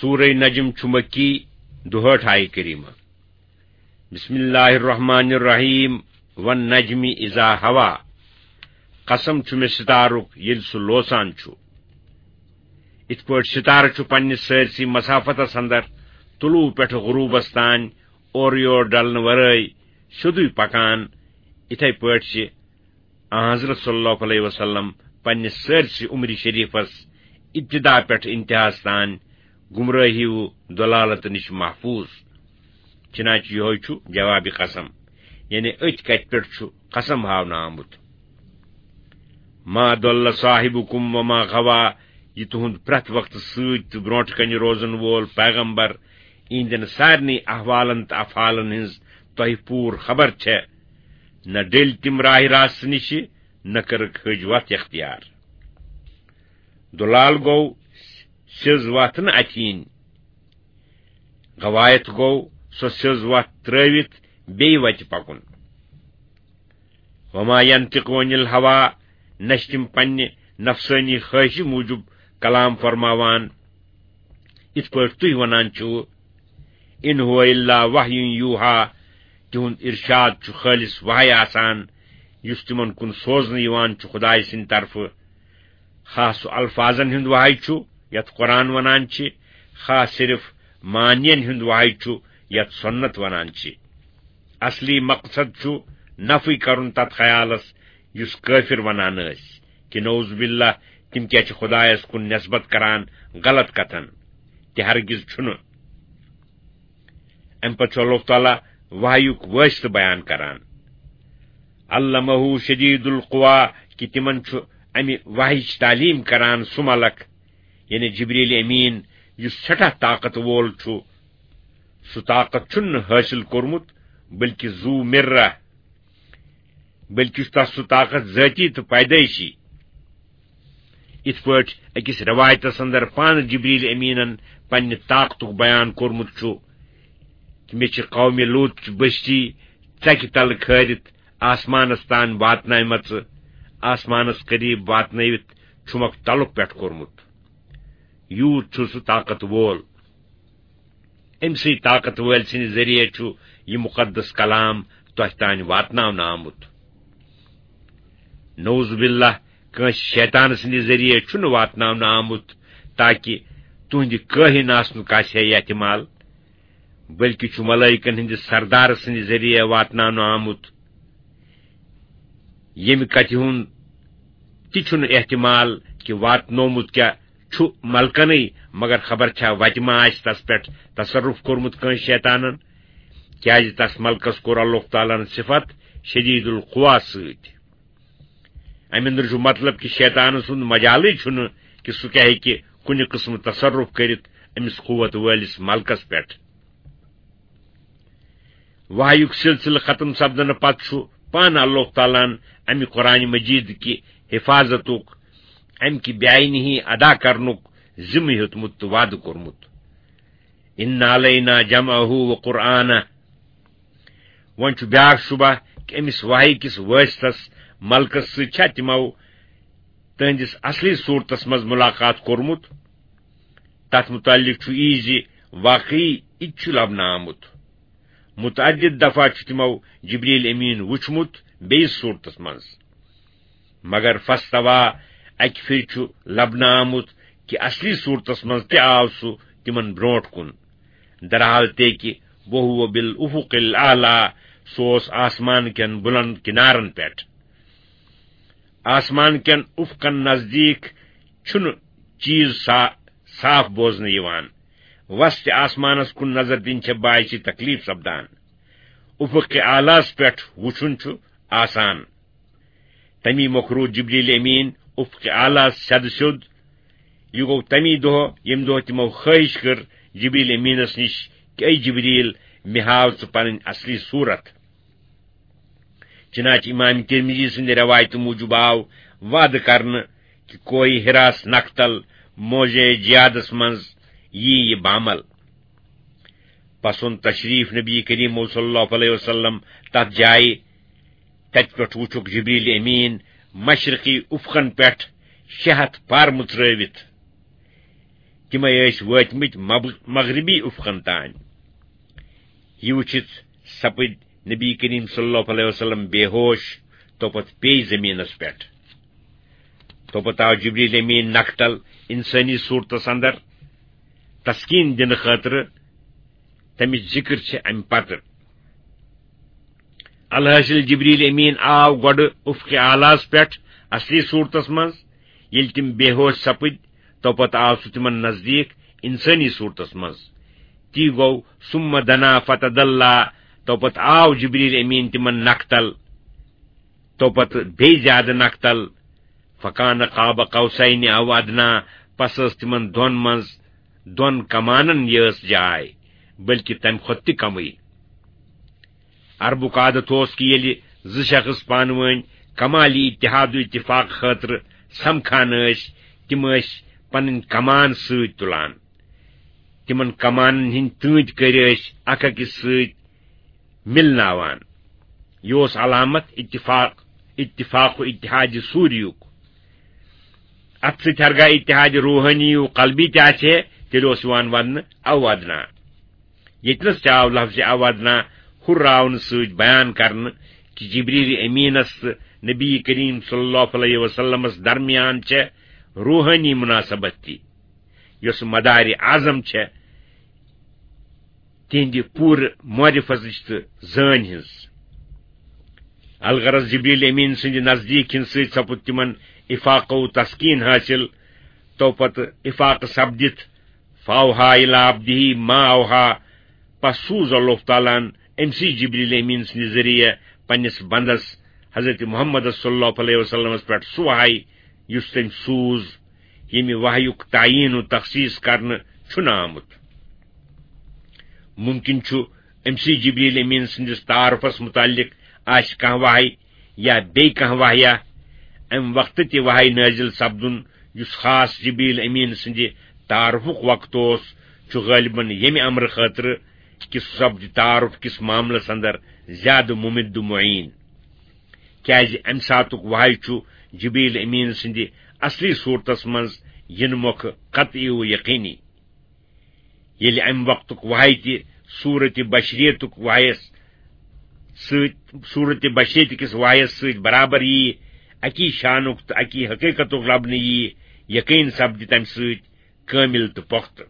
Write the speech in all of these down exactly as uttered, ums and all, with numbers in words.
سورہ نجم چھُ مکی، دُہٲٹھ آیہِ کریمہ۔ بسم اللہ الرحمن الرحیم، والنجم اذا ہوا۔ قسم چھُ مےٚ ستارُک، ییٚلہِ سُہ لوسان چھُ۔ یِتھ پٲٹھۍ ستارٕ چھُ پننِس سٲرسٕے مسافتس اندر طلوع پٮ۪ٹھٕ غروبس تام اورٕ یور ڈلنہٕ ورٲے سیوٚدُے پکان، یِتھے پٲٹھۍ چھِ آن حضرت صلی اللہ علیہ وسلم پننِس سٲرسٕے عمرِ شریفس ابتدا پٮ۪ٹھ انتہاس تام گمراہی و ضلالت نِش محفوظ۔ چنانچہ یہوے چھُ جواب قسم، یعنی أتھۍ کتھِ پٮ۪ٹھ چھُ قسم ہاونہٕ آمُت۔ ما ضل صاحبکم وما غوا، یہِ تُہُنٛد پرٛٮ۪تھ وقتہٕ سۭتۍ تہٕ برونٛٹھ کنہِ روزن وول پیغمبر، یِہنٛدٮ۪ن سارنٕے احوالن تہٕ افعالن ہٕنٛز تۄہہِ پوٗرٕ خبر چھےٚ۔ نہ ڈٔلۍ تِم راہِ راستہٕ نِشہِ، نہ کٔرٕکھ حٔج وتھ اختیار۔ دُلال گوٚو سیٚز وتھ نہٕ اَتھِ یِنۍ۔ غوایت گوٚو سۄ سیٚز وتھ ترٲوِتھ بیٚیہِ وتہِ پکُن۔ وما ينطق عن الهوى، نہ چھِ تِم پننہِ نفسٲنی خواہشہِ موٗجوٗب کلام فرماوان، یِتھ پٲٹھۍ تُہۍ ونان چھِو، ان هو الا وحی یوحی، تِہُنٛد ارشاد چھُ خٲلص وحی آسان، یُس تِمن کُن سوزنہٕ یِوان چھُ خدایہِ سٕنٛدِ طرفہٕ۔ خاص الفاظن ہُنٛد وحی چھُ، یتھ قرآن ونان چھِ، خاص صرف معنین ہُنٛد وحی چھُ، یتھ سنت ونان چھِ۔ اصلی مقصد چھُ نفی کرُن تتھ خیالس یُس کٲفر ونان ٲسۍ، کہِ نعوذ باللہ، تِم کیٛاہ چھِ خدایس کُن نسبت کران غلط کتھن؟ تہِ ہرگز چھُنہٕ۔ امہِ پتہٕ چھُ اللہ تعالیٰ وحیُک وٲسطہٕ بیان کران، علمہ شدید القوا، کہِ تِمن چھُ امہِ وحیٕچ تعلیٖم کران سُہ ملک، یعنی جبریل امین، یُس سٮ۪ٹھاہ طاقت وول چھُ۔ سُہ طاقت چھُنہٕ حٲصِل کوٚرمُت، بلکہِ ذو مرہ، بلکہِ چھُ تس سُہ طاقت ذٲتی تہٕ پیدٲیشی۔ یِتھ پٲٹھۍ أکِس رٮ۪وایتس اندر پانہٕ جبریل امیٖنن پننہِ طاقتُک بیان کوٚرمُت چھُ، کہِ مےٚ چھِ قومِ لوط چہِ بستی ژکہِ تلہٕ کھٲرِتھ آسمانس تام واتنایمژٕ، آسمانس قریب واتنٲوِتھ چھُمکھ تلُک پٮ۪ٹھ کوٚرمُت۔ یوٗت چھُ سُہ طاقت وول۔ أمۍ سٕے طاقت وٲلۍ سٕنٛدِ ذٔریعہٕ چھُ یہِ مُقدس کلام تۄہہِ تام واتناونہٕ آمُت۔ نعوذ باللہ، کٲنٛسہِ شیطان سٕنٛدِ ذٔریعہٕ چھُنہٕ واتناونہٕ آمُت تاکہِ تُہنٛدِ کٲہِن آسنُک آسہِ ہے احتمال، بلکہِ چھُ ملائکن ہٕنٛدِس سردار سٕنٛدِ ذٔریعہٕ واتناونہٕ آمُت، ییٚمہِ کتھِ ہُنٛد تہِ چھُنہٕ احتمال کہِ واتنومُت کیٛاہ چھُ ملکنٕے، مگر خبر چھا وتہِ ما آسہِ تس پٮ۪ٹھ تصرف کوٚرمُت کٲنٛسہِ شیطانن، کیازِ تس ملکس کوٚر اللہ تعالیٰ ہن صفت شدید القوا سۭتۍ۔ امہِ اندرٕ چھُ مطلب کہِ شیطان سُنٛد مجالٕے چھُنہٕ کہِ سُہ کیٛاہ ہیٚکہِ کُنہِ قٕسمہٕ تصرف کٔرِتھ أمِس قوت وٲلِس ملکس پٮ۪ٹھ۔ وحیُک سلسلہٕ ختم سپدنہٕ پتہٕ چھُ پانہٕ اللہ تعالیٰ ہن امہِ قرآن مجید کہِ حفاظتُک، امہِ کہِ بے عینی ادا کرنُک ذمہٕ ہیوٚتمُت تہٕ وعدٕ کوٚرمُت، ان علینا جمعہ و قرآنہ۔ وۄنۍ چھُ بیاکھ شبہ کہِ أمِس وحی کِس وٲسطس ملکس سۭتۍ چھا تِمو تہنٛدِس اصلی صورتس منٛز ملاقات کوٚرمُت؟ تتھ متعلق چھُ یی زِ واقعی یہِ تہِ چھُ لبنہٕ آمُت۔ متعدد دفعہ چھُ تِمو جبریل امین وُچھمُت بیٚیِس صورتس منٛز، مگر فاستوا اکہِ پھِرِ چھُ لبنہٕ آمُت کہِ اصلی صورتس منٛز تہِ آو سُہ تِمن برونٛٹھ کُن۔ درحال تہِ کہِ وہو بالافق الاعلی، سُہ اوس آسمان کٮ۪ن بُلند کنارن پٮ۪ٹھ۔ آسمان کٮ۪ن افقن نزدیٖک چھُنہٕ چیٖز سا-، صاف بوزنہٕ یِوان۔ وسطِ آسمانس کُن نظر دِنۍ چھےٚ باعث تکلیف سپدان۔ افق اعلیٰ ہس پٮ۪ٹھ وُچھُن چھُ آسان۔ تمی مۄکھ روٗد جبریل امین افق اعلیٰ ہس سیٚدٕ سیوٚد۔ یہِ گوٚو تمی دۄہ، ییٚمہِ دۄہ تِمو خٲہِش کٔر جبریل امینس نِش کہِ، اے جبریل، مےٚ ہاو ژٕ پنٕنۍ اصلی صورت۔ چنانچہ امام ترمذی سٕنٛدِ روایتہٕ موٗجوب آو وعدٕ کرنہٕ کہِ کوہِ حراس نکھتل موضع جہادس منٛز یی یہِ بامل۔ پس اوٚن تشریف نبی کریم صلی اللہ علیہ وسلم تتھ جایہِ۔ تتہِ پٮ۪ٹھ وُچھُکھ جبریل امین مشرقی افقن پٮ۪ٹھ شےٚ ہتھ پار مُژرٲوِتھ۔ تِمے ٲسۍ وٲتمٕتۍ مب-، مغربی افقن تام۔ یہِ وٕچھِتھ سپٕدۍ نبی کریم صلی اللہ علیہ وسلم بے ہوش، توپتہٕ پیٚیہِ زمینس پٮ۪ٹھ۔ توپتہٕ آو جبریل امین نکھتل انسٲنی صورتس اندر تسکین دِنہٕ خٲطرٕ۔ تمِچ ذکر چھِ امہِ پتہٕ۔ الحاصل، جبریل امین آو گۄڈٕ افق اعلیٰ ہس پٮ۪ٹھ اصلی صورتس منٛز۔ ییٚلہِ تِم بے ہوش سپٕدۍ، توپتہٕ آو سُہ تِمن نزدیٖک انسٲنی صورتس منٛز۔ تی گوٚو، ثم دنا فتدلّا، توپتہٕ آو جبریل امین تِمن نکھتل، توپتہٕ بیٚیہِ زیادٕ نکھتل۔ فکان قاب قوسین او ادنا، پس ٲس تِمن دۄن منٛز، دۄن کمانن یٲژ جاے، بلکہِ تمہِ کھۄتہٕ تہِ کمٕے۔ عربُک عادت اوس کہِ ییٚلہِ زٕ شخص پانہٕ وٲنۍ کمالی اتحاد و اتفاق خٲطرٕ سمکھان ٲسۍ، تِم ٲسۍ پنٕنۍ کمان سۭتۍ تُلان۔ تِمن کمانن ہٕنٛدۍ تٲنتۍ کٔرۍ ٲسۍ اکھ أکِس سۭتۍ مِلناوان۔ یہِ اوس علامت اتفاق، اتفاق و اتحاد سوریُک۔ اتھ سۭتۍ ہرگاہ اتحاد روحانی و قلبی تہِ آسہِ ہے، تیٚلہِ اوس یِوان وننہٕ او ادنا۔ ییٚتنَس تہِ آو لفظ او ادنا ہُراونہٕ سۭتۍ بیان کرنہٕ کہِ جبریل امیٖنَس تہٕ نبی کریم صلی اللہ علیہ وسلمَس درمیان چھےٚ روحٲنی مناسبت تہِ، یۄس مدارِ اعظم چھےٚ تِہنٛدِ پوٗرٕ معرفتٕچ تہٕ زٲنۍ ہٕنٛز۔ الغرض، جبریل امین سٕنٛدِ نزدیٖک یِنہٕ سۭتۍ سپُد تِمن افاقہ و تسکین حٲصِل۔ تو پتہٕ افاقہ سپدِتھ، فاوحا الی عبدہ ما اوحا، پس سوٗز اللہ تعالیٰ ہن أمۍ سٕے جبریل امین سٕنٛدِ ذٔریعہٕ پننِس بندس حضرت محمد صلی اللہ علیہ وسلمس پٮ۪ٹھ سُہ وحی، یُس تٔمۍ سوٗز، ییٚمہِ وحیُک تعیین و تخصیص کرنہٕ چھُنہٕ آمُت۔ ممکن چھُ أمۍ سٕے جبریل امین سٕنٛدِس تعارفس متعلق آسہِ کانٛہہ وحی یا بیٚیہِ کانٛہہ وحیہ۔ امہِ وقتہٕ تہِ وحی نٲزِل سپدُن، یُس خاص جبریل امین سٕنٛدِ تعارفُک وقت اوس، چھُ غٲلباً ییٚمہِ امرٕ خٲطرٕ کہِ سُہ سپدِ تعارف کِس معاملس اندر زیادٕ ممد و معین۔ کیازِ امہِ ساتُک وحی چھُ جبریل امین سٕنٛدِ اصلی صورتس منٛز یِنہٕ مۄکھٕ قطعی و یقینی۔ ییٚلہِ امہِ وقتُک وحی تہِ صورت بشریتُک وحیس سۭتۍ، صورت بشریت کِس وحیس سۭتۍ برابر ییہِ، اکی شانُک تہٕ اکی حقیقتُک لبنہٕ ییہِ، یقین سپدِ تمہِ سۭتۍ کٲمل تہٕ پۄختہٕ۔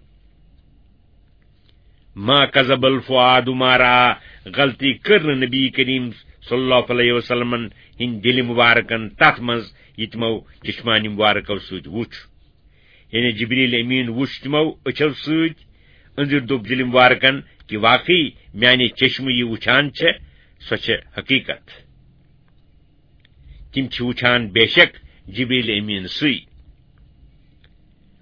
ما کذب الفؤاد ما رأى، غلطی کٔر نہٕ نبی کریم صلی اللہ علیہ وسلمن ہٕنٛدۍ دِلہِ مبارکن تتھ منٛز، یہِ تِمو چشمانِ مبارکو سۭتۍ وُچھ۔ یعنی جبریل امین وُچھ تِمو أچھو سۭتۍ، أنٛدٕرۍ دوٚپ دِلہِ مبارکن کہِ واقعی میانہِ چشمہٕ یہِ وُچھان چھےٚ، سۄ چھےٚ حقیقت۔ تِم چھِ وُچھان بے شک جبریل امین سٕے۔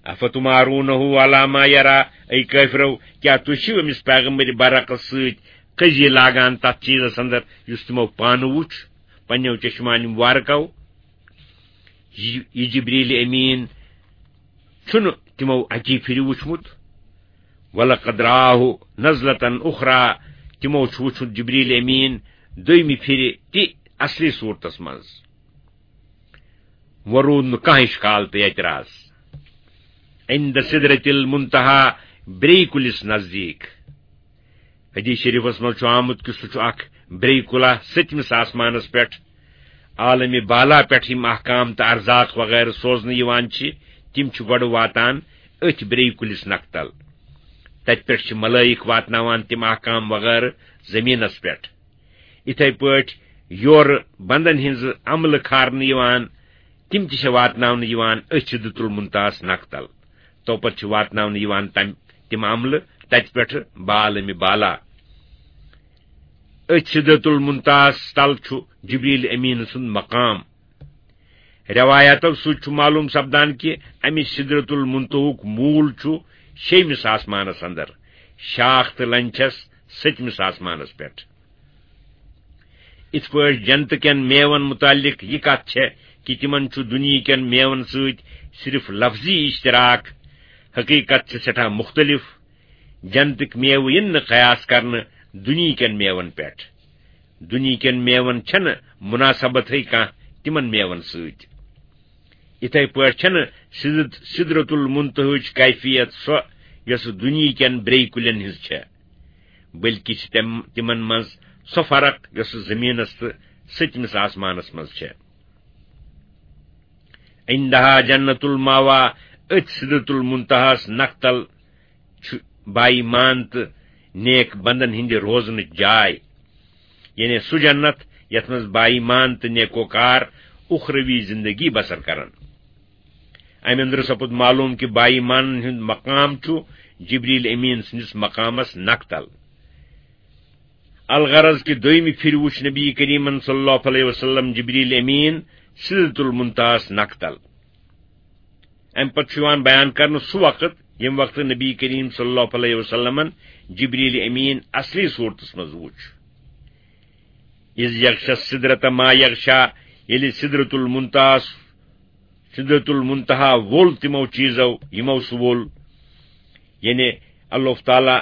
افتمارونہ علی ما یری، اے کٲفرو، کیٛاہ تُہۍ چھِو أمِس پیغمبر برحقس سۭتۍ قضیہِ لاگان تتھ چیٖزس اندر یُس تِمو پانہٕ وُچھ پننیو چشمانِ مبارکو؟ یہِ، یہِ جبریل امین چھُنہٕ تِمو اکی پھِرِ وُچھمُت۔ ولقد رآہ نزلة اخری، تِمو چھُ وُچھمُت جبریل امین دوٚیمہِ پھِرِ تہِ اصلی صورتس منٛز۔ وۄنۍ روٗد نہٕ کانٛہہ اشکال تہٕ اعتراض۔ عند سدرة المنتہی، برے کُلِس نزدیٖک۔ حدیث شریفس منٛز چھُ آمُت کہِ سُہ چھُ اکھ برے کُلہ ستمِس آسمانس پٮ۪ٹھ۔ عالمِ بالا پٮ۪ٹھ یِم احکام تہٕ ارزاق وغیرہ سوزنہٕ یِوان چھِ، تِم چھِ گۄڈٕ واتان أتھۍ برے کُلِس نکھتل۔ تتہِ پٮ۪ٹھ چھِ ملائک واتناوان تِم احکام وغیرہ زمینس پٮ۪ٹھ۔ یِتھے پٲٹھۍ یورٕ بندن ہٕنٛزٕ عملہٕ کھارنہٕ یِوان، تِم تہِ چھِ واتناونہٕ یِوان أتھۍ سدرۃ المنتہاہس نکھتل۔ توپتہٕ چھِ واتناونہٕ یِوان تم، تِم عملہٕ تتہِ پٮ۪ٹھٕ بعالمِ بالا۔ أتھۍ سدرۃ المنتہاہس تل چھُ جبریل امین سُنٛد مقام۔ روایاتو سۭتۍ چھُ معلوم سپدان کہِ امہِ سدرۃ المنتہاہُک موٗل چھُ شیٚیمِس آسمانس اندر، شاخ تہٕ لنجہِ چھس ستمِس آسمانس پٮ۪ٹھ۔ اِتھ پٲٹھۍ جنتہٕ کٮ۪ن میوَن مُتعلِق یہِ کتھ چھےٚ کہِ تِمن چھُ دُنیہٕ کٮ۪ن میوَن سۭتۍ صرف لفظی اشتراک، حقیقت چھِ سٮ۪ٹھاہ مُختٔلِف۔ جنتٕکۍ میوٕ یِن نہٕ قیاس کرنہٕ دُنیہٕ کٮ۪ن میوَن پٮ۪ٹھ۔ دُنیہٕ کٮ۪ن میوَن چھَنہٕ مُناسبتھٕے کانٛہہ تِمن میوَن سۭتۍ۔ اِتھے پٲٹھۍ چھَنہٕ سدرت-، سدرت المنتہاہٕچ کیفیت سۄ یۄس دُنیہکٮ۪ن برٛیٚیہِ کُلٮ۪ن ہٕنٛز چھےٚ، بلکہِ چھِ تِم، تِمن منٛز سۄ فرق یۄس زمینس تہٕ سٔتمِس آسمانس منٛز چھےٚ۔ عندہا جنت الماوا، أتھۍ سدرت المنتہاہس نکھٕ تل چھُ باایمان تہٕ نیک بندن ہٕنٛدِ روزنٕچ جاے، یعنی سُہ جنت یتھ منٛز باایمان تہٕ نیکوکار اخروی زندگی بسر کرن۔ امہِ اندرٕ سپُد معلوم کہِ باایمانن ہُنٛد مقام چھُ جبریل امین سٕنٛدِس مقامس نکھٕ تل۔ الغرض کہِ دویمہِ پھِرِ وُچھ نبی کریمن صلی اللہ علیہ وسلم جبریل امین سدرۃ المنتہاہس نکھٕ تل۔ امہِ پتہٕ چھُ یِوان بیان کرنہٕ سُہ وقت، ییٚمہِ وقتہٕ نبی کریم صلی اللہ علیہ وسلمن جبریل امین اصلی صورتس منٛز وُچھ۔ اذ یغشی السدرۃ ما یغشی، ییٚلہِ سدرۃ المنتہاہس، سدرۃ المنتہا وول تِمو چیٖزو یِمو سُہ وول، یعنی اللہ تعالیٰ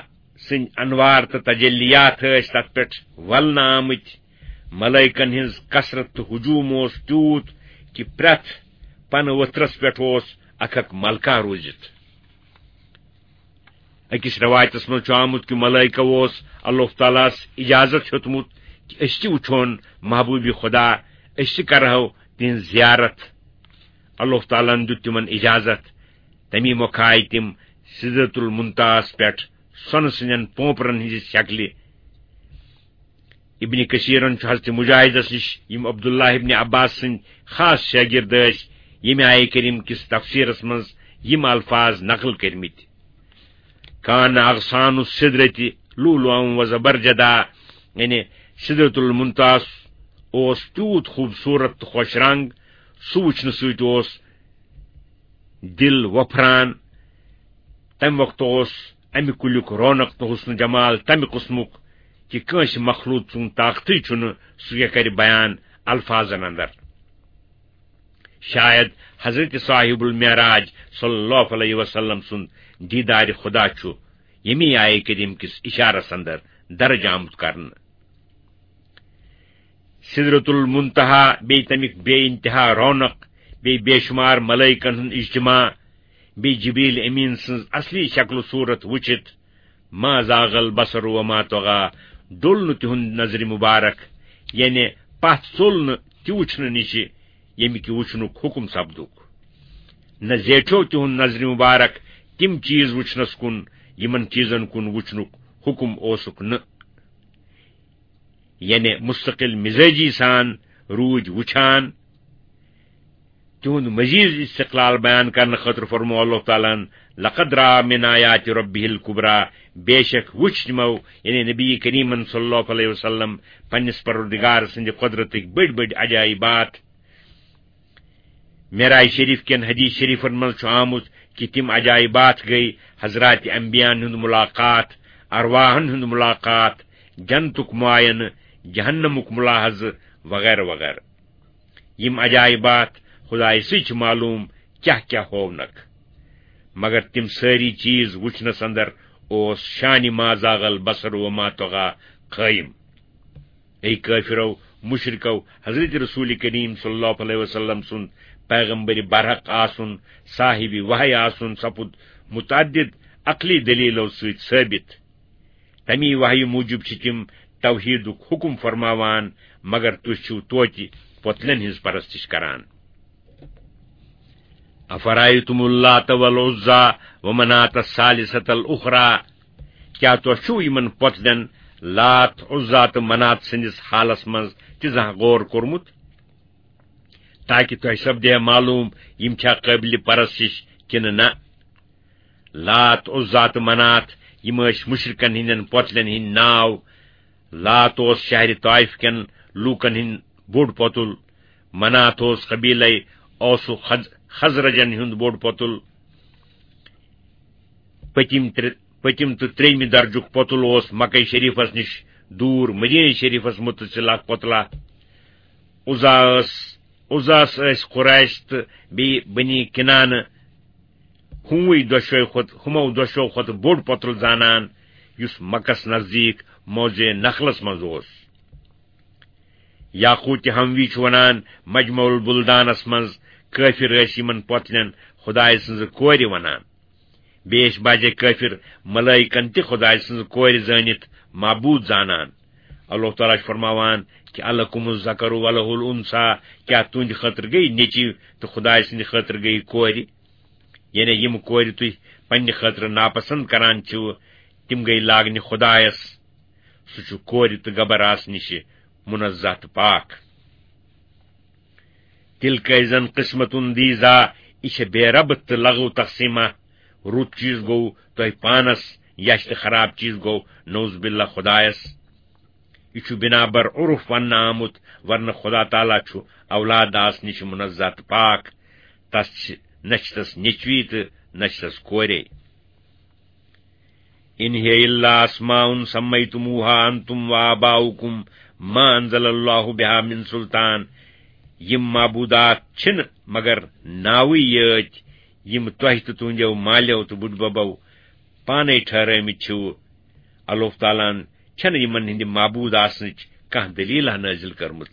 سٕنٛدۍ انوار تہٕ تجلیات ٲسۍ تتھ پٮ۪ٹھ ولنہٕ آمٕتۍ۔ ملائکن ہٕنٛز کثرت تہٕ ہجوم اوس تیوٗت کہِ پرٛٮ۪تھ پنہٕ ؤتھرس پٮ۪ٹھ اوس اکھ اکھ ملکہ روٗزِتھ۔ أکِس رٮ۪وایتس منٛز چھُ آمُت کہِ ملائکہ اوس اللہ تعالیٰ ہس اجازت ہیوٚتمُت کہِ أسۍ تہِ وٕچھون محبوب خدا، أسۍ تہِ کرہو تِہنٛز زیارت۔ اللہ تعالیٰ ہن دیُت تِمن اجازت۔ تمی مۄکھٕ آیہِ تِم سدرۃ المنتہاہس پٮ۪ٹھ سۄنہٕ سٕنٛدٮ۪ن پونپرن ہٕنٛزِ شکلہِ۔ ابن کثیرن چھُ حضرت مجاہدس نِش، یِم عبداللہ ابن عباس سٕنٛدۍ خاص شاگرد ٲسۍ، ییٚمہِ آیہِ کریم کِس تفسیرس منٛز یِم الفاظ نقل کٔرمٕتۍ۔ کان اغصان السدرۃ لؤلؤا و زبرجدا، یعنی سدرۃ المنتہاہس اوس تیوٗت خوٗبصوٗرت تہٕ خۄش رنگ، سُہ وٕچھنہٕ سۭتۍ اوس دِل وۄپھران۔ تمہِ وقتہٕ اوس امہِ کُلیُک رونق تہٕ حسن جمال تمہِ قٕسمُک کہِ کٲنٛسہِ مخلوق سُنٛد طاقتٕے چھُنہٕ سُہ کیٛاہ کرِ بیان الفاظن اندر۔ شاید حضرت صاحب المعراج صلی اللہ علیہ وسلم سُنٛد دیدار خدا چھُ ییٚمی آیہِ کریم کِس اشارس اندر درج آمُت کرنہٕ۔ سدرۃ المنتہا، بیٚیہِ تمیُک بے انتہا رونق، بیٚیہِ بے شمار ملائکن ہُنٛد اجتماع، بیٚیہِ جبریل امین سٕنٛز اصلی شکل و صورت وٕچھِتھ، ما زاغ البصر وما طغی، ڈوٚل نہٕ تِہُنٛد نظرِ مبارک، یعنی پتھ ژوٚل نہٕ تہِ وٕچھنہٕ نِشہِ، ییٚمہِ کہِ وٕچھنُک حکم سپدُک۔ نہ زیٹھیو تِہُنٛد نظرِ مبارک تِم چیز وٕچھنس کُن، یِمن چیزن کُن وٕچھنُک حکم اوسُکھ نہٕ۔ یعنی مستقل مزاجی سان روٗدۍ وٕچھان۔ تِہُنٛد مزید استقلال بیان کرنہٕ خٲطرٕ فرموو اللہ تعالیٰ ہن، "لقد رأى من آيات ربه الكبرى"، بے شک وٕچھ تِمو، یعنی نبی کریمن صلی اللہ علیہ وسلم، پننِس پروردگار سٕنٛدِ قدرتٕکۍ بٔڑۍ بٔڑۍ عجائبات۔ معراج شریف کٮ۪ن حدیث شریفن منٛز چھُ آمُت کہِ تِم عجائبات گٔے حضرات انبیاءن ہُنٛد ملاقات، ارواحن ہُنٛد ملاقات، جنتُک معاینہٕ، جہنمُک ملاحظہٕ وغیرہ وغیرہ۔ یِم عجائبات خدایہِ سٕے چھِ معلوم کیاہ کیاہ ہوونکھ، مگر تِم سٲری چیز وٕچھنس اندر اوس شانِ ما زاغ البصر وما طغی قٲیِم۔ اے کٲفرو، مشرکو، حضرت رسول کریم صلی اللہ علیہ وسلم سُنٛد پیغمبر برحق آسُن، صاحب وحی آسُن سپُد متعدد عقلی دلیلو سۭتۍ ثٲبت۔ تمی وحی موجب چھِ تِم توحیدُک حکم فرماوان، مگر تُہۍ چھِو توتہِ پۄتلٮ۪ن ہٕنٛز پرستش کران۔ افرأيتم اللات والعزى ومناة الثالثة الأخرى، کیا تۄہہِ چھُو یِمن پۄتلٮ۪ن لات، عزا تہٕ منات سٕنٛدِس حالس منٛز تہِ زانٛہہ غور کوٚرمُت؟ تاکہِ تۄہہِ سپدِ ہے معلوم، یِم چھا قٲبلِ پرستش کِنہٕ نہ۔ لات، عزا تہٕ منات، یِم ٲسۍ مشرکن ہٕنٛدٮ۪ن پۄتلٮ۪ن ہٕنٛدۍ ناو۔ لات اوس شہرِ طائف کٮ۪ن لوٗکن ہُنٛد بوٚڑ پۄتُل، منات اوس قبیلے اوس و خز-، خزرجن ہُنٛد بوٚڑ پۄتُل۔ پٔتِم ترٛےٚ، پٔتِم تہٕ ترٛیٚیمہِ درجُک پۄتُل اوس مکہ شریفس نِش دوٗر مدینہ شریفس متصل اکھ پۄتلا۔ عزا ٲس، عزاہس ٲسۍ قریش تہٕ بیٚیہِ بنی کنانہ ہُموٕے دۄشوے کھۄتہٕ، ہُمو دۄشو کھۄتہٕ بوٚڑ پۄتُل زانان، یُس مکس نزدیٖک موضع نخلس منٛز اوس۔ یاقوت حموی چھُ وَنان، مجمع البلدانس منٛز کٲفِر ٲسۍ یِمن پۄتلٮ۪ن خدایہِ سٕنٛزِ کورِ ونان۔ بیٚیہِ ٲسۍ بعضے کٲفِر ملٲیکن تہِ خدایہِ سٕنٛزِ کورِ زٲنِتھ معبوٗد زانان۔ اللہ تعالیٰ چھُ فرماوان کہِ الکم الذکر و لہ الانثی، کیٛاہ تُہنٛدِ خٲطرٕ گٔیہِ نیٚچِو تہٕ خدایہِ سٕنٛدِ خٲطرٕ گٔیہِ کورِ؟ یعنی یِم کورِ تُہۍ پننہِ خٲطرٕ ناپسند کران چھِو، تِم گٔیہِ لاگنہِ خدایس۔ سُہ چھُ کورِ تہٕ گبر آسنہٕ نِش منزہ تہٕ پاک۔ تِلکہ اِذًا قسمۃ ضیزیٰ، یہِ چھےٚ بے ربط تہٕ لغو تقسیمہ۔ رُت چیز گوٚو تۄہہِ پانس، یچھ تہٕ خراب چیز گوٚو نعوذ باللہ خدایس۔ یہِ چھُ بنا بر عرف وننہٕ آمُت، ورنہ خدا تعالیٰ چھُ اولاد آسنہٕ نِش منزہ تہٕ پاک۔ تس چھِ، نہ چھِ تس نیٚچوی تہٕ نہ چھِ تس کورے۔ ان هي الا اسماء سمیتموها انتم وآباؤکم ما انزل اللہ بها من سلطان۔ یِم معبودات چھِنہٕ مگر ناوٕے یٲتۍ، یِم تۄہہِ تہٕ تُہنٛدیو مالیو تہٕ بُڈببو پانے ٹھہرٲومٕتۍ چھِو۔ اللہ تعالیٰ ہن چھنہٕ یِمن ہٕنٛدِ معبوٗد آسنٕچ کانٛہہ دٔلیٖلہ نٲزِل کٔرمٕژ۔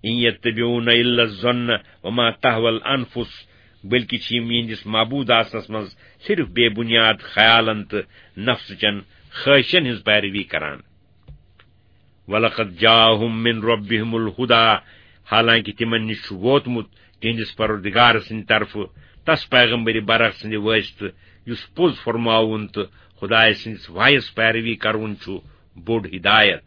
ان یتبعون الا الظن وما تهوى الانفس، بلکہ چھِ یِم یِہنٛدِس معبوٗد آسنس منٛز صرف بے بُنیاد خیالن تہٕ نفسہٕ چٮ۪ن خٲہِشن ہٕنٛز پیروی کران۔ ولقد جاءهم من ربهم الهدى، حالانکہ تِمن نِش چھُ ووتمُت تِہنٛدِس پروردگار سٕنٛدِ طرفہٕ تس پیغمبر برحق سٕنٛدِ وٲسطہٕ، یُس پوٚز فرماوُن تہٕ خدایہِ سٕنٛدِس وحیس پیروی کرُن چھُ بوٚڑ ہدایت۔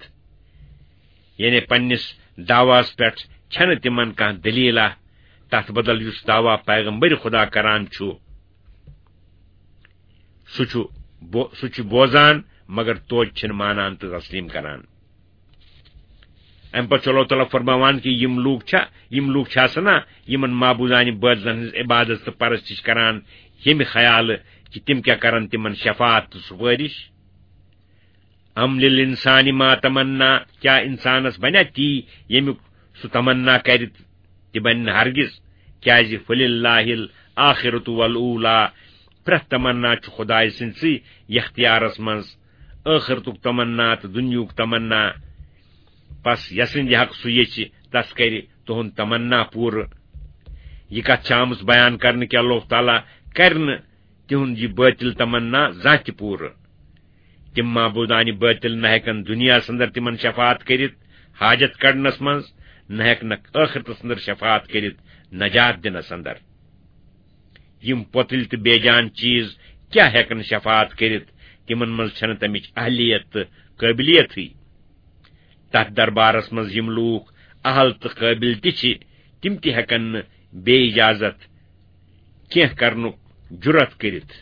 یعنی پننِس دعواہس پٮ۪ٹھ چھنہٕ تِمن کانٛہہ دٔلیٖلہ، تتھ بدل یُس دعوا پیغمبر خدا کران چھُ، سُہ چھُ بو-، سُہ چھُ بوزان، مگر توتہِ چھِنہٕ مانان تہٕ تسلیم کران۔ امہِ پتہٕ چھُ اللہ تعالیٰ فرماوان کہِ یِم لوٗکھ چھا، یِم لوٗکھ چھِ آسان نا، یِمن معبوٗدانہِ بٲطلن ہٕنٛز عبادت تہٕ پرستش کران، ییٚمہِ خیالہٕ کہِ تِم کیٛاہ کرن تِمن شفاعت تہٕ سُفٲرِش۔ ام للانسان ما تمنا، کیٛاہ انسانس بنیا تی ییٚمیُک سُہ تمنا کرِ؟ تہِ بنہِ نہٕ ہرگز، کیٛازِ فللہ الآخرۃ والاولیٰ، پرٛٮ۪تھ تمنا چھُ خدایہِ سٕنٛدسٕے اختیارس منٛز، ٲخرتُک تمنا تہٕ دُنیہُک تمنا۔ پس یسٕنٛدِ حق سُہ یژھِ، تس کرِ تُہُنٛد تمنا پوٗرٕ۔ یہِ کتھ چھِ آمٕژ بیان کرنہٕ کہِ اللہ تعالیٰ کرِ نہٕ تِہُنٛد یہِ بٲطِل تمنا زانٛہہ تہِ پوٗرٕ۔ تِم معبوٗدانہِ بٲطِل نہ ہٮ۪کن دُنیاہس اندر تِمن شفاعت کٔرِتھ حاجت کڑنس منٛز، نہ ہٮ۪کنکھ ٲخرتس اندر شفاعت کٔرِتھ نجات دِنس اندر۔ یِم پۄتٕلۍ تہٕ بے جان چیز کیٛاہ ہٮ۪کن شفاعت کٔرِتھ؟ تِمن منٛز چھنہٕ تمِچ اہلیت تہٕ قٲبلیتٕے۔ تتھ دربارس منٛز یِم لوٗکھ اہل تہٕ قٲبل تہِ چھِ، تِم تہِ ہٮ۪کن نہٕ بے اجازت کینٛہہ کرنُک جُرت کٔرِتھ۔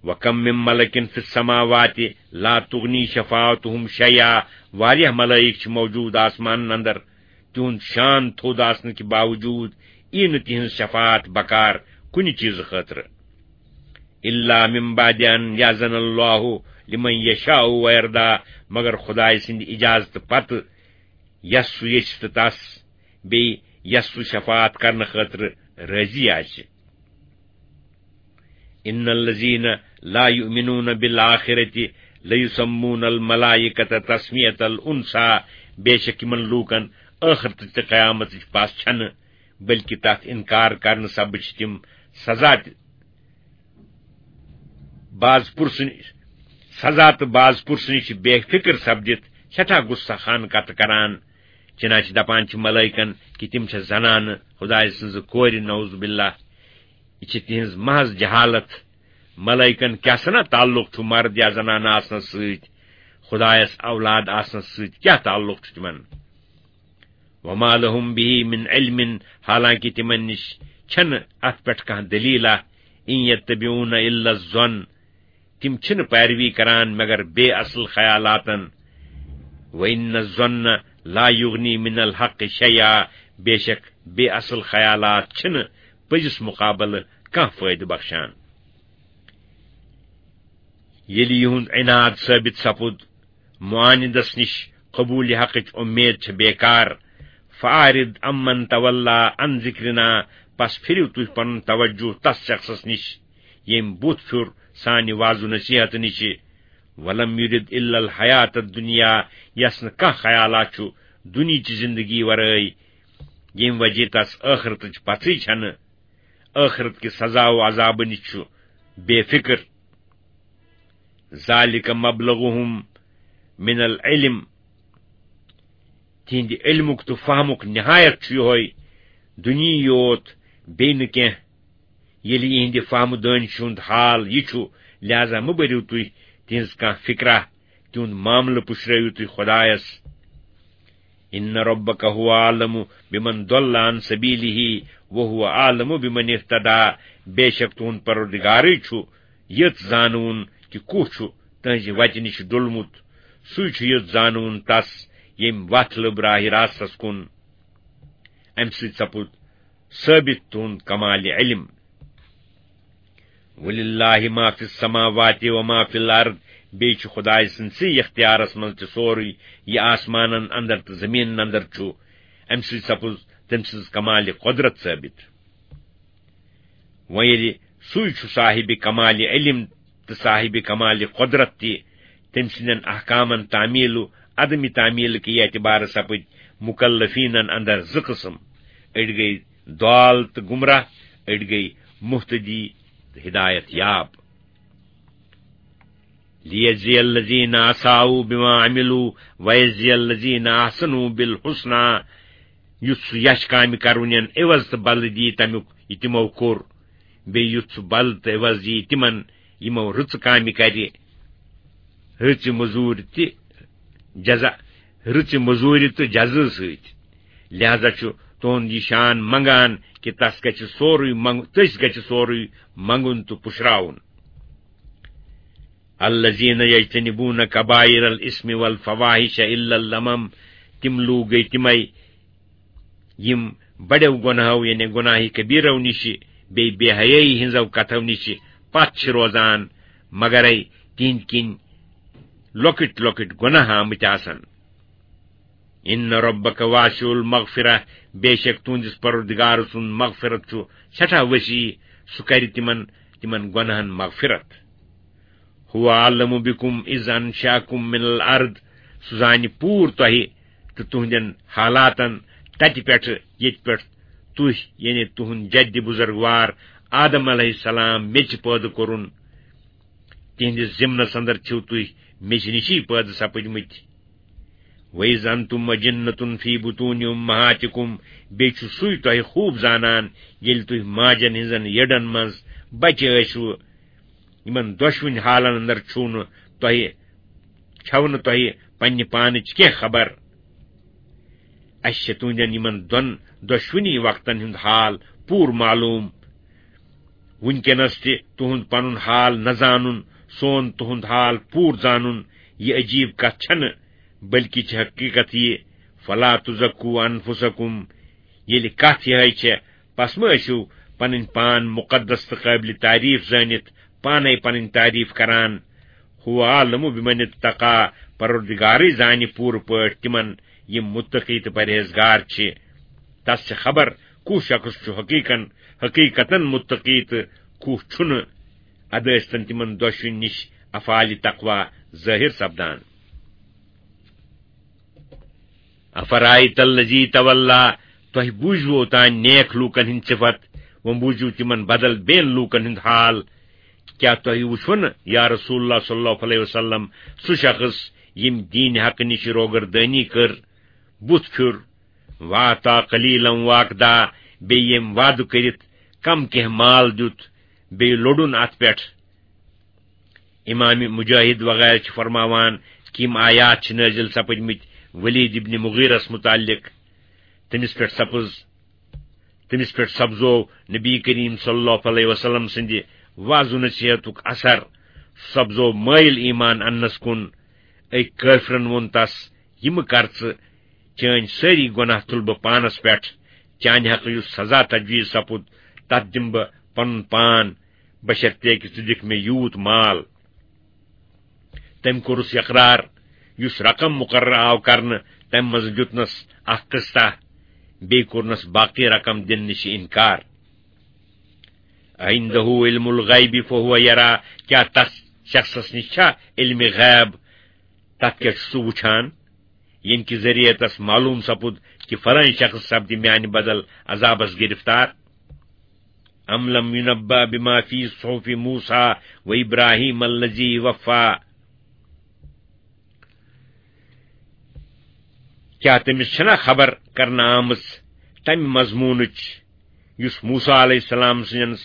وَكَم مِّن مَّلَكٍ فِي السَّمَاوَاتِ لَا تُغْنِي شَفَاعَتُهُمْ شَيْئًا، واریاہ ملائک چھِ موجود آسمانن اندر، تِہُنٛد شان تھوٚد آسنہٕ کہِ باوجوٗد یی نہٕ تِہنٛز شفاعت بکار کُنہِ چیٖزٕ خٲطرٕ۔ إِلَّا مِن بَعْدِ أَن يَأْذَنَ اللَّهُ لِمَن يَشَاءُ وَيَرْضَىٰ، مگر خدایہِ سٕنٛدِ اجازتہٕ پتہٕ، یس سُہ یژھِ تہٕ تس، بیٚیہِ یس سُہ شفاعت کرنہٕ خٲطرٕ رٲضی آسہِ۔ إِنَّ الَّذِينَ لَا يُؤْمِنُونَ بِالْآخِرَةِ لَيُسَمُّونَ الْمَلَائِكَةَ تَسْمِيَةَ الْأُنْثَىٰ، بے شک یِمن لوٗکن ٲخرتٕچ تہٕ قیامتٕچ پژھ چھنہٕ، بلکہ تتھ انکار کرنہٕ سببہٕ چھِ تِم سزا تہِ باز پرسن، سزا تہٕ باز پرسنٕچ بے فکر سپدِتھ سٮ۪ٹھاہ غصہ خان کتھٕ کران۔ چنانچہ دپان چھِ ملائکن کہِ تِم چھِ زنانہٕ، خدایہِ سٕنٛزٕ کورِ، نعوذ باللہ۔ یہِ چھِ تِہنٛز محض جہالت۔ ملائکن کیٛاہ سنا تعلق چھُ مرد یا زنانہٕ آسنس سۭتۍ؟ خدایس اولاد آسنس سۭتۍ کیٛاہ تعلق چھُ تِمن؟ وما لهم به من علم، حالانکہ تِمن نِش چھنہٕ اتھ پٮ۪ٹھ کانٛہہ دٔلیٖلہ۔ إِن يَتَّبِعُونَ إِلَّا الظَّنَّ، تِم چھِنہٕ پیروی کران مگر بے اصل خیالاتن۔ وَإِنَّ الظَّنَّ لَا يُغْنِي مِنَ الْحَقِّ شَيْئًا، بے شک بے اصل خیالات چھِنہٕ پٔزِس مقابلہٕ کانٛہہ فٲیدٕ بخشان۔ ییٚلہِ یِہُنٛد عناد ثٲبت سپُد، معاندس نِش قبوٗل حقٕچ اُمید چھِ بیکار۔ فَأَعْرِضْ عَمَّنْ تَوَلَّىٰ عَنْ ذِكْرِنَا، پس پھِرِو تُہۍ پنُن توجہ تس شخصس نِش، ییٚمۍ بُتھ پھیُر سانہِ وعظ و نصیحت نِشہِ۔ وَلَمْ يُرِدْ إِلَّا الْحَيَاةَ الدُّنْيَا، یس نہٕ کانٛہہ خیالا چھُ دُنیہٕچ زندگی ورٲے۔ ییٚمہِ وجہ تس ٲخرتٕچ پژھٕے چھنہٕ، ٲخرت کہِ سزا و عذابہٕ نِش چھُ بے فکر۔ ذالک مبلغہم من العلم، تِہنٛدِ علمُک تہٕ فہمُک نہایت چھُ یِہوٚے دُنیاہٕے یوت، بیٚیہِ نہٕ کینٛہہ۔ ییٚلہِ یِہنٛدِ فہمہٕ دٲنۍ ہُنٛد حال یہِ چھُ، لہذا مہٕ بٔرِو تُہۍ تِہنٛز کانٛہہ فکرا، تِہُنٛد معاملہٕ پُشرٲوِو تُہۍ خۄدایس۔ ان ربک هو اعلم بمن ضل عن سبیلہ وهو اعلم بمن اهتدی، بے شک تُہُنٛد پروردگارٕے چھُ یٔژ زانوُن کہِ کُس چھُ تُہنٛزِ وتہِ نِش ڈوٚلمُت، سُے چھُ یٔژ زانوُن تس، ییٚمۍ وتھ لٔب راہِ راستس کُن۔ امہِ سۭتۍ سپُد ثٲبت تُہُنٛد کمال علم۔ وللہ ما فی السماوات و ما فی الارض، بیٚیہِ چھُ خۄداے سٕنٛدسٕے اختیارس منٛز تہِ سورُے یہِ آسمانن اندر تہٕ زٔمیٖنن اندر چھُ۔ امہِ سۭتۍ سپُز تٔمۍ سٕنٛز کمال قۄدرت ثٲبت۔ وۄنۍ ییٚلہِ سُے چھُ صاحب کمال علم تہٕ صاحب کمال قۄدرت تہِ، تٔمۍ سٕنٛدٮ۪ن احکامن تعمیل و عدم تعمیل کہِ اعتبارٕ سپٕدۍ مکلفینن اندر زٕ قٕسم، أڑۍ گٔے ضال تہٕ گمراہ، أڑۍ گٔے مہتدی تہٕ ہدایت یاب۔ لیجزی الذین اساؤ بما عملوا ویجزی الذین احسنوا بالحسنی، یُس سُہ یچھ کامہِ کرونین عوض تہٕ بدلہٕ دی تمیُک یہِ تِمو کوٚر، بیٚیہِ یُتھ سُہ بدلہٕ تہٕ عوض دی تِمن یِمو رٕژٕ کامہِ کرِ، رٕژِ مٔزوٗرِ تہِ جزا، رٕژِ مٔزوٗرِ تہٕ جزا سۭتۍ۔ لہذا چھُ تُہُنٛد یہِ شان منگان کہِ تس گژھِ سورُے منگ-، تٔسۍ گژھِ سورُے منگُن تہٕ پُشراوُن۔ الذین یجتنبون کبائر الاثم والفواحش الا اللمم، تِم لوٗکھ گٔے تِمے یِم بڑیو گۄناہو، یعنی گۄناہہِ کبیرو نِشہِ، بیٚیہِ بے حیٲیی ہٕنٛزو کتھو نِشہِ پتھ چھِ روزان، مگرے تِہنٛدۍ کِنۍ لۄکٕٹۍ لۄکٕٹۍ گۄناہ آمٕتۍ آسن۔ ان ربک واسع المغفرہ، بے شک تُہنٛدِس پروردگار سُنٛد مغفرت چھُ سٮ۪ٹھاہ وسیع، سُہ کرِ تِمن، تِمن گۄناہن مغفرت۔ هو اعلم بكم اذ انشأكم من الارض، سُہ زانہِ پوٗرٕ تۄہہِ تہٕ تُہنٛدٮ۪ن حالاتن تتہِ پٮ۪ٹھٕ ییٚتہِ پٮ۪ٹھ تُہۍ، یعنی تُہنٛد جدِ بزرگوار آدم علیہ السلام، میٚژِ پٲدٕ کوٚرُن۔ تِہنٛدِس ضمنس اندر چھِو تُہۍ میٚژِ نِشی پٲدٕ سپٕدمٕتۍ۔ وَإِذْ أَنْتُمْ أَجِنَّةٌ فِي بُطُونِ أُمَّهَاتِكُمْ، بیٚیہِ چھُ سُے تۄہہِ خوٗب زانان، ییٚلہِ تُہۍ ماجن ہٕنٛزن یٔڈن منٛز بچہِ ٲسِو۔ یِمن دۄشوٕنۍ حالن اندر چھُو نہٕ تۄہہِ، چھَو نہٕ تۄہہِ پننہِ پانٕچ کینٛہہ خبر۔ اَسہِ چھِ تُہنٛدٮ۪ن یِمن دۄن دۄشوٕنی وقتن ہُنٛد حال پوٗرٕ معلوٗم۔ وٕنکیٚنس تہِ تُہُنٛد پنُن حال نہ زانُن، سون تُہُنٛد حال پوٗرٕ زانُن، یہِ عجیٖب کتھ چھنہٕ، بلکہِ چھِ حقیقت یہِ، فلا تزکو انفسکم، ییٚلہِ کتھ یِہے چھےٚ، پس مہ ٲسِو پنٕنۍ پان مقدس تہٕ قٲبلِ تعریف زٲنِتھ پانے پنٕنۍ تعریف کران۔ هو اعلم بمن اتقی، پروردگارٕے زانہِ پوٗرٕ پٲٹھۍ تِمن، یِم متقی تہٕ پرہیزگار چھِ۔ تس چھِ خبر کُس شخص چھُ حقیقن، حقیقتن متقی تہٕ کُس چھُنہٕ۔ ادٕ ٲسۍتن تِمن دۄشوٕنی نِش افعالِ تقوی ظٲہِر سپدان۔ افرأیت الذی تولی، تۄہہِ بوٗزوٕ اوتام نیک لوٗکن ہٕنٛدۍ صفت، وۄنۍ بوٗزِو تِمن بدل بیٚین لوٗکن ہُنٛد حال۔ کیٛاہ تۄہہِ وُچھوٕ نہٕ، یا رسول اللہ صلی اللہ علیہ وسلم، سُہ شخص ییٚمۍ دیٖنِ حق نِش روگردٲنی کٔر، بُتھ پھیُر، واعطی قلیلا واکدا، بیٚیہِ ییٚمۍ وعدٕ کٔرِتھ کم کینٛہہ مال دیُت، بیٚیہِ لوٚڑُن اتھ پٮ۪ٹھ؟ امام مجاہد وغیرہ چھِ فرماوان کہِ یِم آیات چھِ نٲزِل سپٕدمٕتۍ ولید ابن مغیرس متعلق۔ تٔمِس پٮ۪ٹھ سپٕز، تٔمِس پٮ۪ٹھ سپزو نبی کریم صلی اللہ علیہ وسلم سٕنٛدِ وعظ و نصیحتُک اثر، سُہ سپزو مٲیِل ایمان اننس کُن۔ أکۍ کٲفرن ووٚن تس، یہِ مہٕ کر ژٕ، چٲنۍ سٲری گۄناہ تُلہٕ بہٕ پانس پٮ۪ٹھ، چانہِ حقہٕ یُس سزا تجویز سپُد، تتھ دِمہٕ بہٕ پنُن پان، بشرطیکہِ ژٕ دِکھ مےٚ یوٗت مال۔ تٔمۍ کوٚرُس اقرار، یُس رقم مقرر آو کرنہٕ، تمہِ منٛزٕ دیُتنس اکھ قسطہ، بیٚیہِ کوٚرنس باقی رقم دِنہٕ نِش انکار۔ عنده علم الغیب فهو یرا، کیٛاہ تس شخصس نِش چھا علمِ غیب؟ تتھ کیٛاہ چھُ سُہ وُچھان، ییٚمہِ کہِ ذٔریعہٕ تس معلوم سپُد کہِ فلٲنۍ شخص سپدِ میانہِ بدل عذابس گرفتار؟ ام لم ينبأ بما في صحف موسى وإبراهيم الذي وفى۔ کیٛاہ تٔمِس چھَنا خبر کرنہٕ آمٕژ تَمہِ مضموٗنٕچ، یُس موسیٰ علیہ السلام سٕنٛدٮ۪ن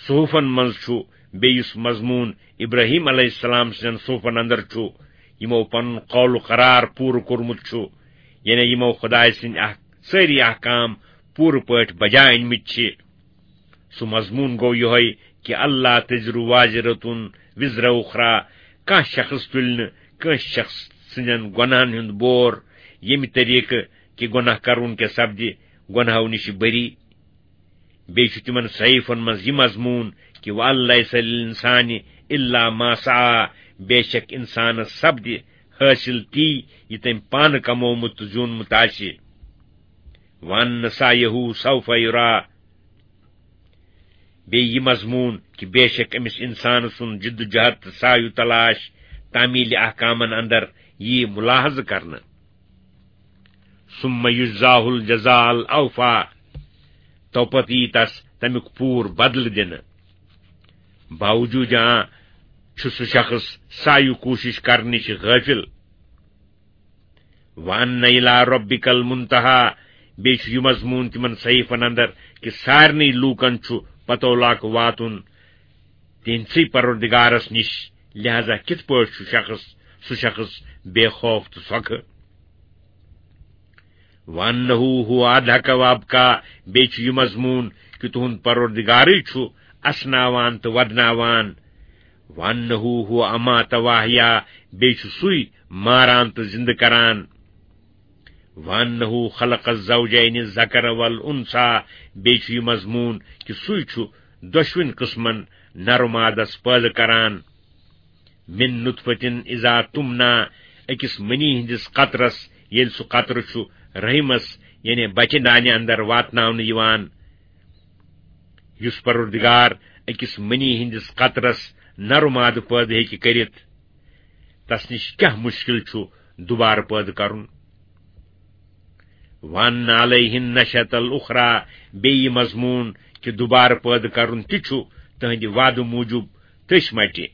صحفن منٛز چھُ، بیٚیہِ یُس مضموٗن ابراہیم علیہ السلام سٕنٛدٮ۪ن صحفن اندر چھُ، یِمو پنُن قول و قرار پوٗرٕ کوٚرمُت چھُ، یعنی یِمو خدایہِ سٕنٛدۍ اکھ سٲری احکام پوٗرٕ پٲٹھۍ بجا أنۍمٕتۍ چھِ؟ سُہ مضموٗن گوٚو یِہوٚے کہِ اللہ تزر وازرة وزر اخرى، کانٛہہ شخص تُلہِ نہٕ کٲنٛسہِ شخص سٕنٛدٮ۪ن گۄناہن ہُنٛد بور، ییٚمہِ طریٖقہٕ کہِ گۄناہ کرُن کیٛاہ سپدِ گۄناہو نِش بری۔ بیٚیہِ چھُ تِمن صحیفن منٛز یہِ مضموٗن کہِ وَأَن لَّيْسَ لِلْإِنسَانِ إِلَّا مَا سَعَىٰ، بے شک اِنسانس سپدِ حٲصِل تی یہِ تٔمۍ پانہٕ کمومُت تہٕ زیوٗنمُت آسہِ۔ وَأَنَّ سَعْيَهُ سَوْفَ يُرَىٰ۔ بیٚیہِ یہِ مضموٗن کہِ بے شک أمِس اِنسان سُنٛد جِد و جہد تہٕ سعی و تلاش تعمیٖلِ احکامن اندر یِیہِ مُلاحظہٕ کرنہٕ۔ ثُمَّ يُجْزَاهُ الْجَزَاءَ الْأَوْفَىٰ، تو پتہٕ یِیہِ تس تمیُک پوٗرٕ بدلہٕ دِنہٕ۔ باوجوٗد اَمہِ چھُ سُہ شخص سعی و کوٗشِش کرنہٕ نِش غٲفِل۔ وَأَنَّ إِلَىٰ رَبِّكَ الْمُنتَهَىٰ، بیٚیہِ چھُ یہِ مضموٗن تِمن صحیفن اندر کہِ سارنٕے لوٗکن چھُ پتولاک واتُن تِہنٛدسٕے پروردگارس نِش، لہذا کِتھ پٲٹھۍ چھُ شخص، سُہ شخص بے خوف تہٕ سۄکھٕ؟ وَأَنَّهُ هُوَ أَضْحَكَ وَأَبْكَىٰ، بیٚیہِ چھُ یہِ مضموٗن کہِ تُہُنٛد پروردگارٕے چھُ اسناوان تہٕ ودناوان۔ وَأَنَّهُ هُوَ أَمَاتَ وَأَحْيَا، بیٚیہِ چھُ سُے ماران تہٕ زِنٛدٕ کران۔ وَأَنَّهُ خَلَقَ الزَّوْجَيْنِ الذَّكَرَ وَالْأُنثَىٰ، بیٚیہِ چھُ یہِ مضموٗن کہِ سُے چھُ دۄشوٕنۍ قٕسمن نر و مادس پٲدٕ کران۔ مِن نُطْفَةٍ إِذَا تُمْنَىٰ، أکِس منی ہٕنٛدِس قطرس، ییٚلہِ سُہ قطرٕ چھُ رحمس، یعنی بچہِ دانہِ اندر واتناونہٕ یِوان۔ یُس پروردگار أکِس منی ہٕنٛدِس قطرس نر و مادٕ پٲدٕ ہیٚکہِ کٔرِتھ، تس نِش کیٛاہ مُشکِل چھُ دُبارٕ پٲدٕ کرُن؟ وَأَنَّ عَلَيْهِ النَّشْأَةَ الْأُخْرَىٰ، بیٚیہِ یہِ مضموٗن کہِ دُبارٕ پٲدٕ کرُن تہِ چھُ تٕہٕنٛدِ وعدٕ موٗجوٗب تٔسۍ مٹہِ۔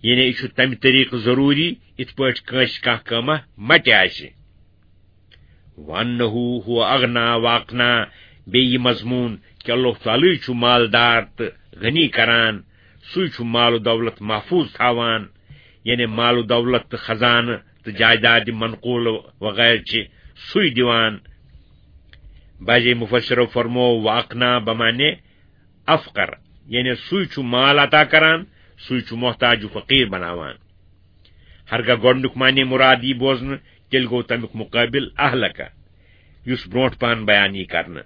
یعنی یہِ چھُ تمہِ طریٖقہٕ ضروٗری، یِتھ پٲٹھۍ کٲنٛسہِ کانٛہہ کٲمہ مٹہِ آسہِ۔ وَأَنَّهُ هُوَ أَغْنَىٰ وَأَقْنَىٰ، بیٚیہِ یہِ مضموٗن کہِ اللہ تعالیٰ چھُ مالدار تہٕ غنی کران، سُے چھُ مال و دولت محفوظ تھاوان، یعنی مال و دولت تہٕ خزانہٕ تہٕ جائیداد منقول وغیرہ چھِ سُے دِوان۔ بعضے مفسرو فرمو وَأَقْنَىٰ بمعنی افقر، یعنی سُے چھُ مال عطا کران، سُے چھُ محتاج و فقیر بناوان۔ ہرگاہ گۄڈنیُک معنی مُراد یی بوزنہٕ، تیٚلہِ گوٚو تمیُک مُقٲبِل اہلکہ، یُس برونٛٹھ پہن بیان یی کرنہٕ۔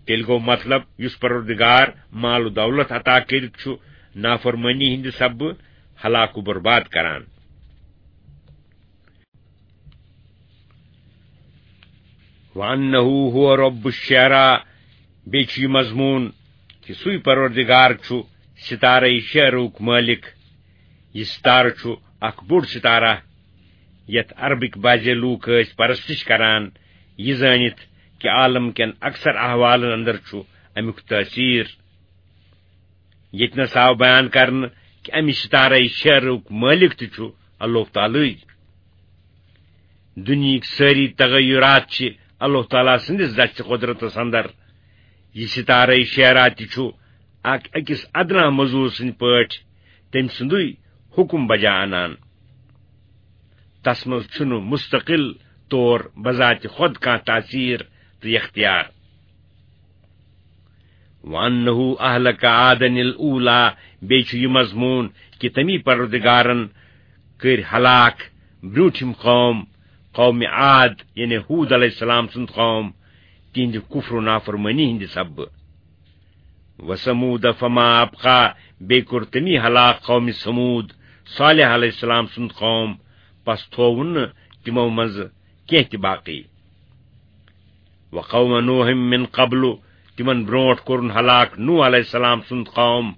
تیٚلہِ گوٚو مطلب، یُس پروردگار مال و دولت عطا کٔرِتھ چھُ نافرمٲنی ہٕنٛدِ سببہٕ ہلاک و برباد کران۔ وَأَنَّهُ هُوَ رَبُّ الشِّعْرَىٰ، بیٚیہِ چھُ یہِ مضموٗن کہِ سُے پروردگار چھُ ستارے شعرُک مٲلِک۔ یہِ ستارٕ چھُ اکھ بوٚڑ ستارہ، یتھ عربٕکۍ بعضے لوٗکھ ٲسۍ پرستش کران، یہِ زٲنِتھ کہِ عالم کٮ۪ن اکثر احوالن اندر چھُ امیُک تٲثیر۔ ییٚتہِ نس آو بیان کرنہٕ کہِ امہِ ستارے شعرُک مٲلِک تہِ چھُ اللہ تعالیٰ۔ دُنیہٕکۍ سٲری تغیرات چھِ اللہ تعالیٰ سٕنٛدِس دستِ قۄدرتس اندر۔ یہِ ستارے شعرا تہِ چھُ اکھ أکِس ادنا مزوٗر سٕنٛدۍ پٲٹھۍ تٔمۍ سُنٛدُے حُکم بجا انان۔ تس منٛز چھُنہٕ مستقل طور بذات خود کانٛہہ تاثیر تہٕ اختیار۔ وَأَنَّهُ أَهْلَكَ عَادًا الْأُولَىٰ، بیٚیہِ چھُ یہِ مضموٗن کہِ تٔمی پروردگارن کٔرۍ ہلاک برٛونٛٹھِم قوم، قومِ عاد، یعنی ہوٗد علیہ السلام سُنٛد قوم، تِہنٛدِ کفر و نافرمٲنی ہٕنٛدِ سببہٕ۔ وَثَمُودَ فَمَا أَبْقَىٰ، بیٚیہِ کوٚر تٔمی ہلاک قومِ ثمود، صالح علیہ السلام سُنٛد قوم، پس تھووُن نہٕ تِمو منٛزٕ کینٛہہ تہِ باقی۔ وَقَوْمَ نُوحٍ مِّن قَبْلُ، تِمن برونٛٹھ کوٚرُن ہلاک نوح علیہ السلام سُنٛد قوم۔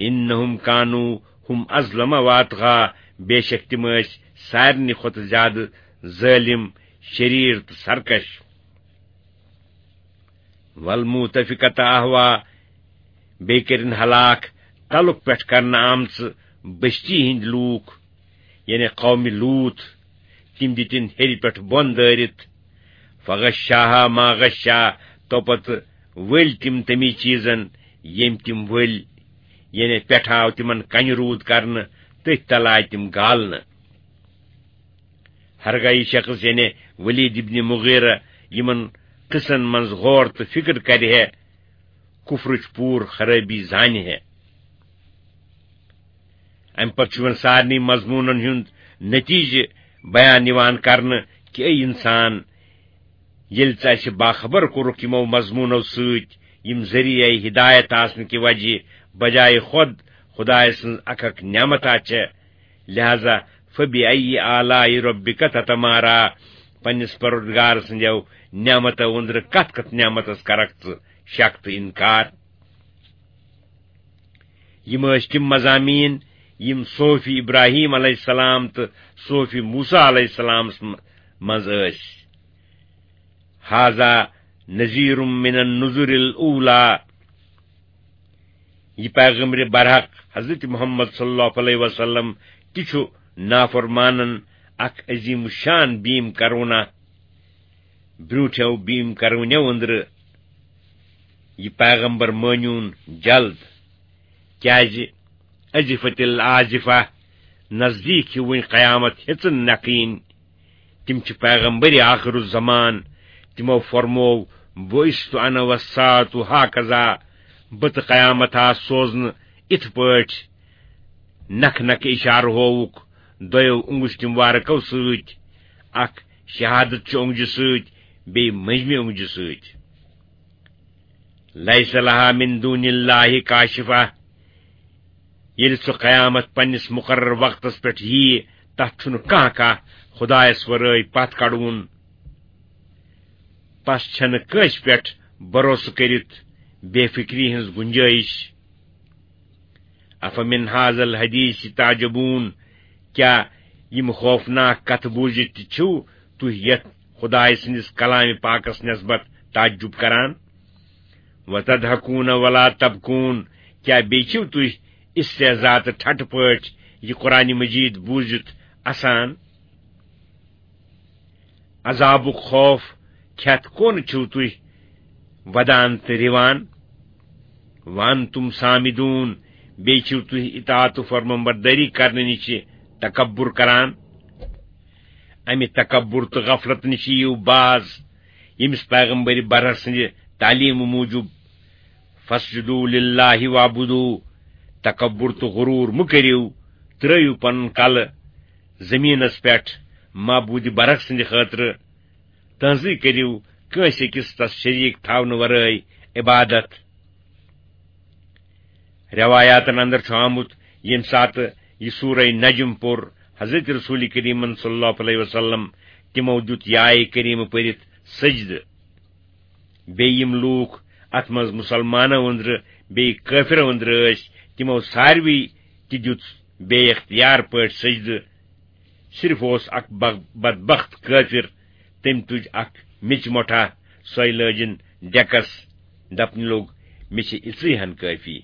إِنَّهُمْ كَانُوا هُمْ أَظْلَمَ وَأَطْغَىٰ، بے شک تِم ٲسۍ سارنٕے کھۄتہٕ زیادٕ ظٲلِم، شریر تہٕ سرکش۔ والمؤتفقة أهوى، بیٚیہِ کٔرِن ہلاک تلُک پٮ۪ٹھ کرنہٕ آمژٕ بستی ہٕنٛدۍ لوٗکھ، یعنی قومِ لوٗط، تِم دِتِن ہیٚرِ پٮ۪ٹھ بۄن دٲرِتھ۔ فغشاها ما غشا، تو پتہٕ ؤلۍ تِم تَمی چیٖزن، ییٚمۍ تِم ؤلۍ، یعنی پٮ۪ٹھٕ آو تِمن کنہِ روٗد کرنہٕ، تٔتھۍ تل آے تِم گالنہٕ۔ ہرگاہ یہِ شخص، یعنی ولید ابن مغیرہ، یِمن قصن منٛز غور تہٕ فکر کرِ ہے، کفرٕچ پوٗرٕ خرٲبی زانہِ ہے۔ امہِ پتہٕ چھُ وۄنۍ سارنٕے مضموٗنن ہُنٛد نتیجہٕ بیان یِوان کرنہٕ کہِ اے انسان، ییٚلہِ ژٕ اسہِ باخبر کوٚرُکھ یِمو مضموٗنو سۭتۍ، یِم ذٔریعے ہدایت آسنہٕ کہِ وجہ بجایہِ خۄد خدایہِ سٕنٛز اکھ اکھ نعمتا چھےٚ، لہذا فبأي آلاء ربك تتمارى، پننِس پروردگار سٕنٛدیو نعمتو أنٛدرٕ کتھ کتھ نعمتس کرکھ ژٕ شک تہٕ انکار؟ یِم ٲسۍ تِم مضامین یِم صحف ابراہیم علیہ السلام تہٕ صحف موسیٰ علیہ السلامس م-، منٛز ٲسۍ۔ هذا نذير من النذر الأولى۔ یہِ پیغمبر برحق حضرت محمد صلی اللہ علیہ وسلم تہِ چھُ نافرمانن اکھ عظیم الشان بیم کرونہ۔ برونٹھیو بیم کرونیو أنٛدرٕ یہِ پیغمبر مٲنیون جلد، کیازِ أزفت الآزفہ، نزدیک چھِ وۄنۍ قیامت ہیژن نکھٕنۍ۔ تِم چھِ پیغمبر آخر الزمان۔ تِمو فرموو، بعثت انا والساعة هكذا، بہٕ تہٕ قیامت آس سوزنہٕ اِتھ پٲٹھۍ۔ نکھ نکھ اشارٕ ہووُکھ دۄیو اونگُج تِموارکو سۭتۍ، اکھ شہادت چہِ اونگجہِ سۭتۍ، بیٚیہِ مٔنٛزمہِ اونگجہِ سۭتۍ۔ لیس لہا من دون اللہ کاشفہ، ییٚلہِ سُہ قیامت پننِس مقرر وقتس پٮ۪ٹھ ییہِ، تتھ چھُنہٕ کانٛہہ کانٛہہ خدایس ورٲے پتھ کڑوُن۔ پس چھنہٕ کٲنٛسہِ پٮ۪ٹھ بھروسہٕ کٔرِتھ بے فکری ہٕنٛز گنجٲیش۔ افمن هذا الحديث تعجبون، کیا یِم خوفناک کتھٕ بوٗزِتھ تہِ چھِو تُہۍ یتھ خدایہِ سٕنٛدِس کلامِ پاکس نسبت تعجب کران؟ وتضحكون ولا تبكون، کیا بیٚیہِ چھِو تُہۍ استہزا تہٕ ٹھٹھٕ پٲٹھۍ یہِ قرآن مجید بوٗزِتھ اسان؟ عذابُک خوف کھٮ۪تھ کون چھِو تُہۍ ودان تہٕ رِوان؟ وانتم سامدون، بیٚیہِ چھِو تُہۍ اطاعت و فرمانبردٲری کرنہٕ نِش تکبر کران۔ امہِ تکبر تہٕ غفلت نِش یِیِو باز، ییٚمِس پیغمبر برحق سٕنٛدِ تعلیٖم موٗجوٗب، فاسجدوا للہ واعبدوا، تکبر تہٕ غرور مہٕ کٔرِو، ترٲیِو پنُن کلہٕ زمینس پٮ۪ٹھ معبود برحق سٕنٛدِ خٲطرٕ، تہنٛزٕے کٔرِو کٲنٛسہِ أکِس تس شریٖک تھاونہٕ ورٲے عبادت۔ روایاتن اندر چھُ آمُت، ییٚمہِ ساتہٕ یہِ سورہ نجم پوٚر حضرت رسول کریمن صلی اللہ علیہ وسلم، تِمو دیُت یہِ آیہِ کریمہٕ پٔرِتھ سجدٕ۔ بیٚیہِ یِم لوٗکھ اتھ منٛز مُسلمانو أنٛدرٕ بیٚیہِ کٲفرو أنٛدرٕ ٲسۍ، تِمو ساروٕے تہِ دیُت بے اختیار پٲٹھۍ سجدٕ۔ صرف اوس اکھ بغ-، بدبخت کٲفر، تٔمۍ تُج اکھ میٚژِ مۄٹھا، سۄے لٲجِن ڈیکس، دپنہِ لوٚگ، "مےٚ چھِ اِژٕے ہن کٲفی۔"